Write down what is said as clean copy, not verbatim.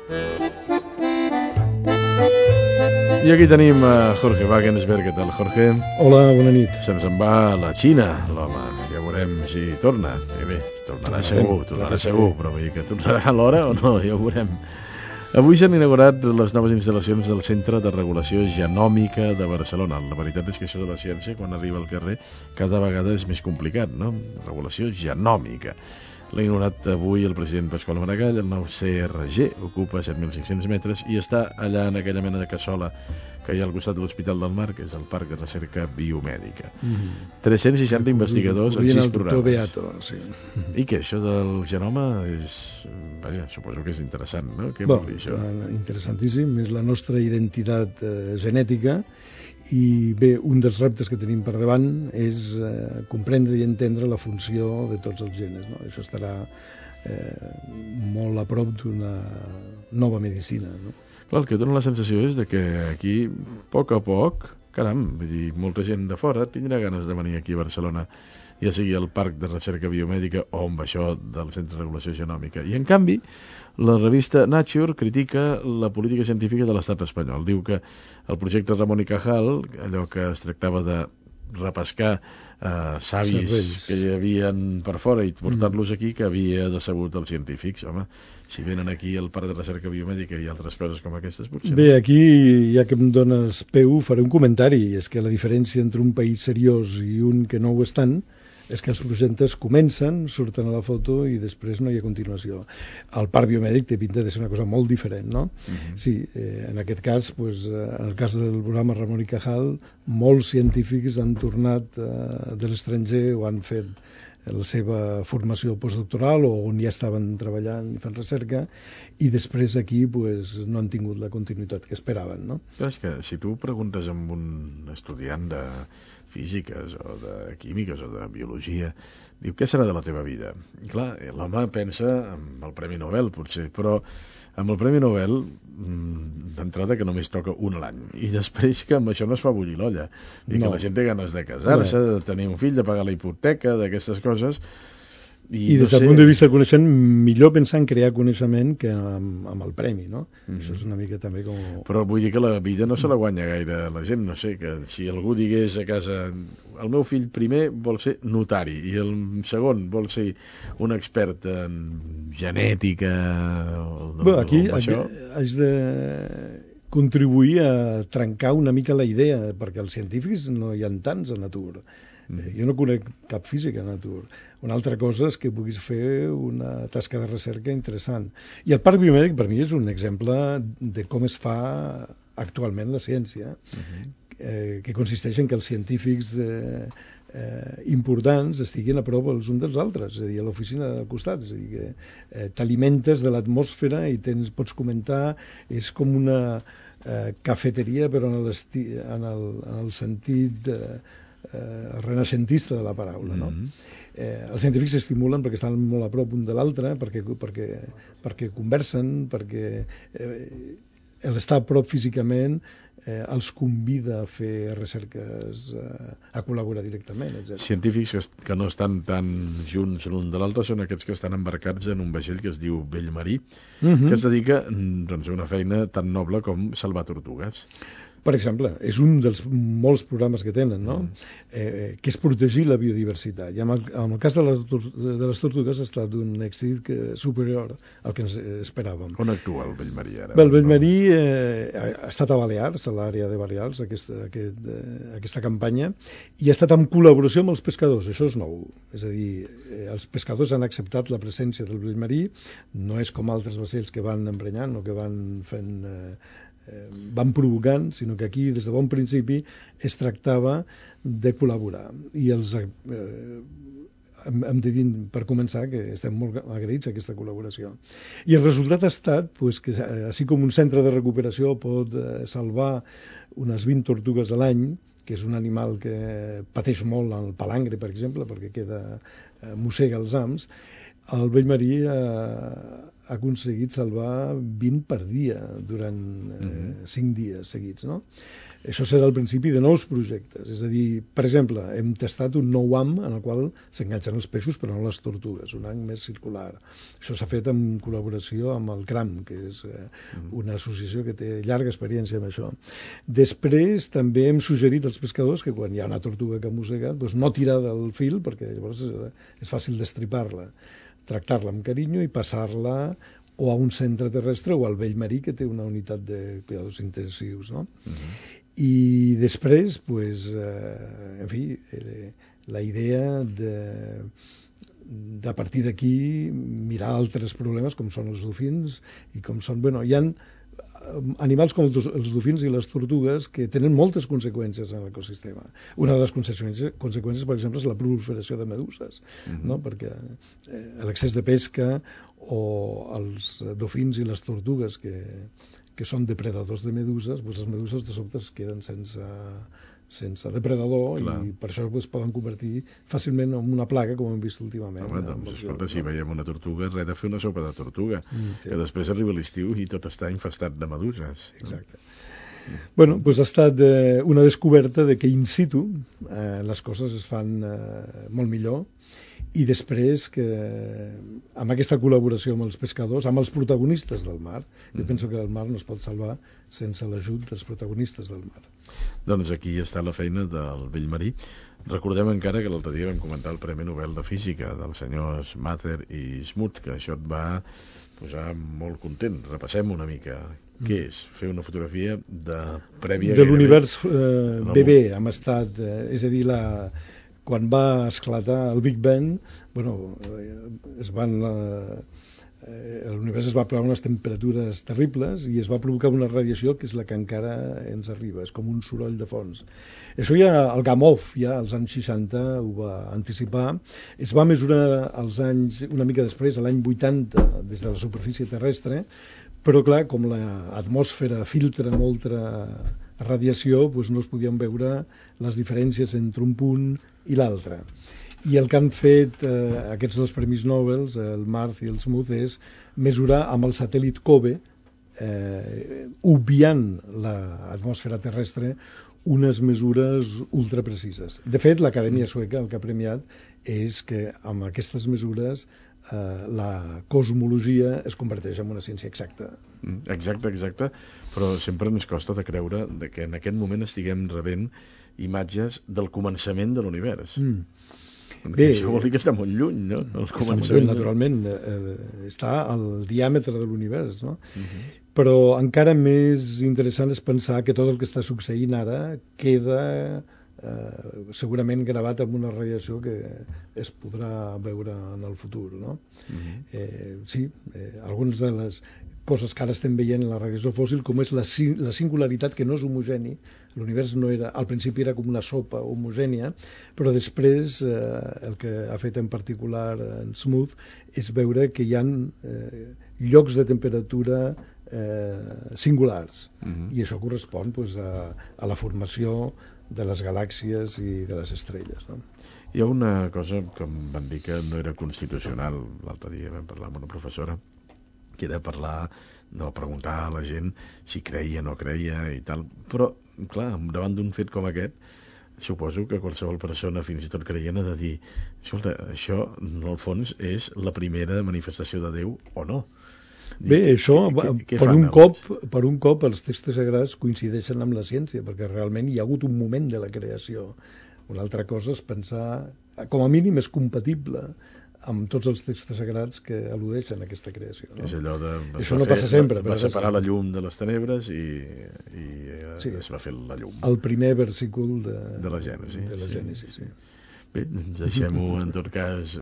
I aquí tenim Jorge Wagensberg. Què tal, Jorge? Hola, bona nit. Se'ns en va a la Xina, l'home. Ja veurem si torna. Bé, tornarà segur, però vull dir que tornarà a l'hora o no, ja ho veurem. Avui s'han inaugurat les noves instal·lacions del Centre de Regulació Genòmica de Barcelona. La veritat és que això de la ciència, quan arriba al carrer, cada vegada és més complicat, no? Regulació genòmica. L'ha inaugurat avui el president Pasqual Maragall. El nou CRG ocupa 7.500 metres i està allà en aquella mena de cassola que hi ha al costat de l'Hospital del Mar, que és el Parc de Recerca Biomèdica. 360 investigadors en 6 programes. Beato, sí. I què, això del genoma és... Vaja, suposo que és interessant, no? Què vol dir això? Interessantíssim, és la nostra identitat genètica. I bé, un dels reptes que tenim per davant és comprendre i entendre la funció de tots els genes, no? Això estarà molt a prop d'una nova medicina, no? Clar, el que dona la sensació és de que aquí, a poc, caram, vull dir, molta gent de fora tindrà ganes de venir aquí a Barcelona, ja sigui al Parc de Recerca Biomèdica o amb això del Centre de Regulació Genòmica. I en canvi, la revista Nature critica la política científica de l'estat espanyol. Diu que el projecte Ramon y Cajal, allò que es tractava de repescar savis que hi havien per fora i portar-los aquí, que havia decebut els científics. Home, si venen aquí al Parc de Recerca Biomèdica i altres coses com aquestes, potser Bé, aquí, ja que em dones peu, faré un comentari. És que la diferència entre un país seriós i un que no ho és tant és que els projectes comencen, surten a la foto i després no hi ha continuació. El parc biomèdic té pinta de ser una cosa molt diferent, no? Sí, en aquest cas, en el cas del programa Ramon y Cajal, molts científics han tornat de l'estranger o han fet la seva formació postdoctoral o on ja estaven treballant i fent recerca, i després aquí no han tingut la continuïtat que esperaven, no? Clar, és que si tu preguntes amb un estudiant de físiques o de químiques o de biologia, diu, què serà de la teva vida? I clar, l'home pensa en el Premi Nobel, potser, però amb el Premi Nobel, d'entrada que només toca un a l'any, i després que amb això no es fa bullir l'olla, i que la gent té ganes de casar-se, de tenir un fill, de pagar la hipoteca, d'aquestes coses. I des del punt de vista del coneixement, millor pensar en crear coneixement que amb el premi, no? Això és una mica també com... Però vull dir que la vida no se la guanya gaire la gent, no sé, que si algú digués a casa, el meu fill primer vol ser notari i el segon vol ser un expert en genètica o aquí això... haig de contribuir a trencar una mica la idea, perquè els científics no hi ha tants a Natur. Jo no conec cap físic a Natur. Una altra cosa és que puguis fer una tasca de recerca interessant. I el parc biomèdic per mi és un exemple de com es fa actualment la ciència, que consisteix en que els científics importants estiguin a prop els uns dels altres, és a dir, a l'oficina del costat, és a dir, que t'alimentes de l'atmosfera i pots comentar, és com una cafeteria però en el sentit renaixentista de la paraula, no? Els científics s'estimulen perquè estan molt a prop un de l'altre, perquè conversen, perquè l'estar a prop físicament els convida a fer recerques, a col·laborar directament, etc. Científics que no estan tan junts l'un de l'altre són aquests que estan embarcats en un vaixell que es diu Bellmarí, que es dedica doncs, a una feina tan noble com salvar tortugues. Per exemple, és un dels molts programes que tenen, no? Que és protegir la biodiversitat. I en el cas de les tortugues ha estat un èxit superior al que ens esperàvem. On actua el Bellmarí ara? Bé, el Bellmarí ha estat a Balears, a l'àrea de Balears, aquesta campanya, i ha estat en col·laboració amb els pescadors. Això és nou. És a dir, els pescadors han acceptat la presència del Bellmarí, no és com altres vaixells que van emprenyant o que van fent... van provocant, sinó que aquí des de bon principi es tractava de col·laborar, i hem de dir per començar que estem molt agraïts a aquesta col·laboració, i el resultat ha estat que així com un centre de recuperació pot salvar unes 20 tortugues a l'any, que és un animal que pateix molt el palangre, per exemple, perquè mossega els hams, el Bellmarí ha aconseguit salvar 20 per dia durant 5 dies seguits, no? Això serà el principi de nous projectes. És a dir, per exemple, hem tastat un nou ham en el qual s'enganxen els peixos però no les tortugues, un ham més circular. Això s'ha fet en col·laboració amb el CRAM, que és una associació que té llarga experiència en això. Després també hem suggerit als pescadors que quan hi ha una tortuga que mossega, doncs no tirar del fil, perquè llavors és fàcil destripar-la, tractar-la amb carinyo i passar-la o a un centre terrestre o al vell marí, que té una unitat de cuidados intensius, no? I després, pues, en fi, la idea de a partir d'aquí mirar altres problemes com són els dofins i com són... Bueno, hi ha animals com els dofins i les tortugues que tenen moltes conseqüències en l'ecosistema. Una de les conseqüències, per exemple, és la proliferació de meduses, no? Perquè l'excés de pesca o els dofins i les tortugues que són depredadors de meduses, doncs les meduses de sobte es queden sense depredador. Clar. I per això es poden convertir fàcilment en una plaga, com hem vist últimament. Home, doncs, escolta, si veiem una tortuga, res de fer una sopa de tortuga, sí. Que després arriba l'estiu i tot està infestat de meduses. Exacte. Bueno, doncs ha estat una descoberta de que in situ les coses es fan molt millor, i després que amb aquesta col·laboració amb els pescadors, amb els protagonistes del mar, jo penso que el mar no es pot salvar sense l'ajut dels protagonistes del mar. Doncs aquí està la feina del vell marí. Recordem encara que l'altre dia vam comentar el Premi Nobel de Física dels senyors Mather i Smoot, que això et va posar molt content. Repassem una mica. Què és? Fer una fotografia prèvia... De l'univers bebè, amb estat... és a dir, quan va esclatar el Big Bang, bueno, l'univers es va plegar unes temperatures terribles i es va provocar una radiació que és la que encara ens arriba, és com un soroll de fons. Això ja el Gamow, ja als anys 60, ho va anticipar. Es va mesurar als anys, una mica després, a l'any 80, des de la superfície terrestre, però clar, com l'atmosfera filtra molta radiació, doncs no es podien veure les diferències entre un punt i l'altre. I el que han fet aquests dos premis Nobel, el Marth i el Smoot, és mesurar amb el satèl·lit COBE, obviant l'atmosfera terrestre, unes mesures ultraprecises. De fet, l'Acadèmia Sueca el que ha premiat és que amb aquestes mesures la cosmologia es converteix en una ciència exacta. Exacte, però sempre ens costa de creure que en aquest moment estiguem rebent imatges del començament de l'univers. Bé, això vol dir que està molt lluny, no? Està molt lluny, naturalment. Està al diàmetre de l'univers, no? Però encara més interessant és pensar que tot el que està succeint ara queda segurament gravat amb una radiació que es podrà veure en el futur, no? Sí, algunes de les coses que ara estem veient en la radiació fòssil, com és la singularitat que no és homogeni. L'univers no era, al principi era com una sopa homogènia, però després el que ha fet en particular en Smoot és veure que hi ha llocs de temperatura singulars, i això correspon a la formació de les galàxies i de les estrelles, no? Hi ha una cosa que em van dir que no era constitucional. L'altre dia vam parlar amb una professora que era preguntar a la gent si creia o no creia i tal, però clar, davant d'un fet com aquest suposo que qualsevol persona, fins i tot creient, ha de dir, escolta, això en el fons és la primera manifestació de Déu o no. Bé, això, per un cop els textos sagrats coincideixen amb la ciència, perquè realment hi ha hagut un moment de la creació. Una altra cosa és pensar, com a mínim és compatible amb tots els textos sagrats que al·ludeixen a aquesta creació, no? És allò de... Això no passa sempre. Va separar la llum de les tenebres i es va fer la llum. El primer versícul de la Gènesi. De la Gènesi, sí. Bé, deixem-ho en tot cas